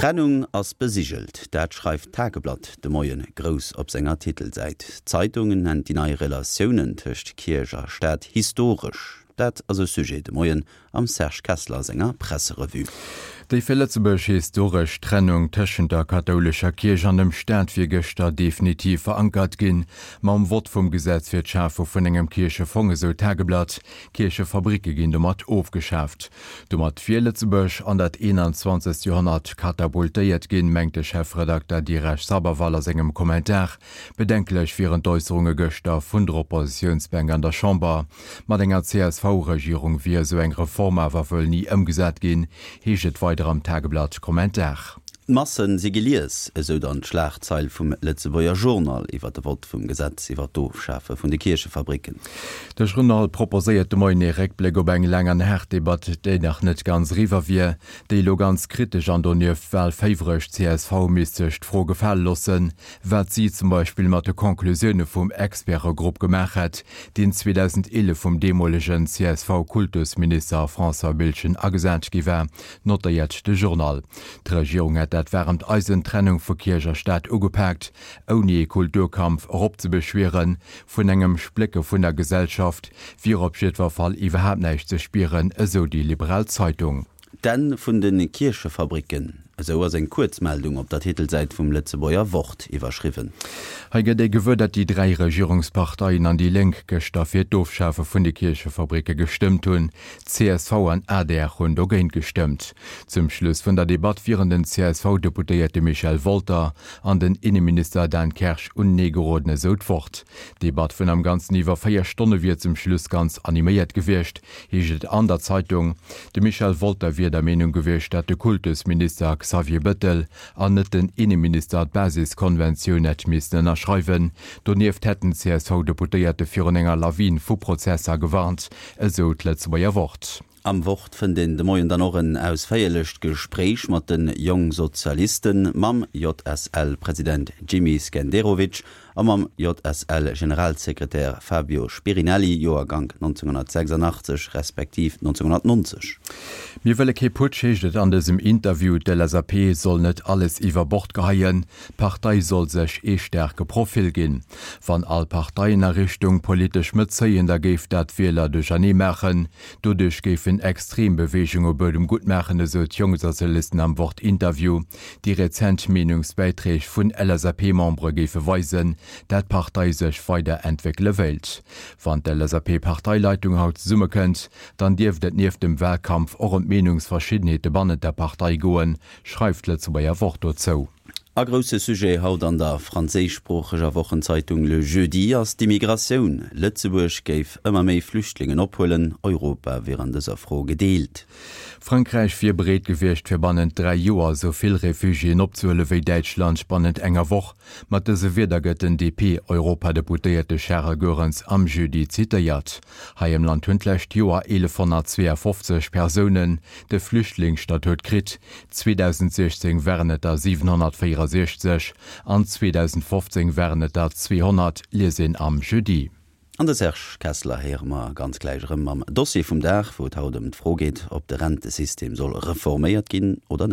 D'Trennung ass besigelt, dat schreift d'Tageblatt de Moie grouss op senger Titelsäit. D'Zeitung nennt déi nei Relatiounen tëscht Kierch a Staat historesch. Dat ass e Sujet de Moien am Serge Kessler senger Presserevue. Déi fir Lëtzebuerg historesch Trennung tëschent der kathoulescher Kierch an dem Staat wier gëschter definitiv verankert ginn, mam Vott vum Gesetz fir d'Schafe vun engem Kierchefong, esou d'Tageblatt. Kierchefabricke ginn domat ofgeschaaft. Domat wier Lëtzebuerg an dat 21. Joerhonnert katapultéiert ginn, mengt de Chefredakter Diresh Sabharwal a sengem Kommentar. Bedenklech wieren d'Äusserunge gëschter vun der Oppositiounsbänk an der Chamber. Mat enger CSV-Regierung wier esou eng Reform awer wuel ni ëmgesat ginn, heescht et weider am Tageblatt-Kommentar. D'Massen si gelies, esou dann d'Schlagzeil vum Lëtzebuerger Journal iwwer de Vott vum Gesetz iwwer d'Ofschafe vun de Kierchefabricken. De Journal proposéiert de Moien ee Réckbléck op eng laang an haart Debatt, déi nach net ganz eriwwer wier, déi elo ganz kritesch an donieft walféiwreg csv misst sech d'Fro gefale loossen, wat si zum Beispill mat de Conclusioune vum Expertegrupp gemaach hätt, deen 2011 vum deemolegen CSV-Kultusminister François Biltgen agesat gi war, notéiert de Journal. D'Regierung hätt dat waarmt Eisen, d'Trennung vu Kierch a Staat, ugepaakt, ouni ee Kulturkampf eropzebeschwieren. Vun engem Splécke vun der Gesellschaft wier op jiddwer Fall iwwerhaapt näischt ze spieren, esou déi liberal Zeitung. D'Enn vun de Kierchefabricken, esou ass eng Kuerzmeldung op der Titelsäit vum Lëtzebuerger Wort iwwerschriwwen. Hei gëtt ee gewuer, datt déi 3 Regierungsparteien an déi Lénk gëschter fir d'Ofschafe vun de Kierchefabricke gestëmmt hunn. Csv an adr hunn dogéint gestëmmt. Zum Schluss vun der Debatt wieren den CSV-Deputéierte Michel Wolter an den Inneminister Dan Kersch unenee geroden, esou d'Wort. D'Debatt vun am Ganzen iwwer 4 Stonne wier zum Schluss ganz animéiert gewiescht, heescht et an der Zeitung. De Michel Wolter wier der Meenung gewiescht, datt de Kultusminister Xavier Bëttel an net den Inneminister d'Basiskonventioun hätt missten ënnerschreiwen. Donieft hätt den CSV-Deputéierte virun enger Lawin vu Prozesser gewarnt, esou d'Lëtzebuerger Wort. Am Wort fënnt een de Moien dann och en ausféierlecht Gespréich mat de Jongsozialisten, mam JSL-President Jimmy Skenderovic a mam JSL-Generalsekretär Fabio Spirinelli, Joergank 1986 respektiv 1990. Mir wëlle kee Putsch, heescht et an dësem Interview. D'LSAP soll net alles iwwer Bord geheien. D'Partei soll sech ee staarke Profil ginn. Wann all Parteien a Richtung politesch Mëtt zéien, da géif dat d'Wieler duerchernee maachen. Doduerch géifen extrem Beweegunge Buedem gutt maachen, esou d'Jongsozialisten am Wort-Interview. Déi rezent Meenungsbäiträg vun LSAP-Membere géife weisen, dat d'Partei sech weider entwéckele wéilt. Wann d'LSAP-Parteileitung haut zesummekënnt, dann dierft et nieft dem Walkampf och ëm d'Meenungsverschiddenheete bannent der Partei goen, schreift d'Lëtzebuerger Wort dozou. A grousse Sujet haut an der franséischsproocheger Wochenzeitung Le Jeudi ass d'Immigratioun. Lëtzebuerg géif ëmmer méi Flüchtlingen ophuelen, Europa wier an dëser Fro gedeelt. Frankräich wier bereet gewiescht, fir bannent 3 Joer esou vill Refugiéen opzehuele wéi Däitschland bannent enger Woch. Mat dëse Wierder gëtt den DP-Europadeputéierte Charles Goerens am Jeudi zitéiert. Hei am Land hunn d'lescht Joer 1.152 Persounen de Flüchtlingsstatut kritt, 2016 waren et der 764 an 2015 waren et der 200, liest een am Jeudi. An de Serge Kessler héiere mer ganz gläich erëm mam Dossier vum Dag, wou et haut ëm d'Fro geet, ob de Rentesystem soll reforméiert ginn oder net.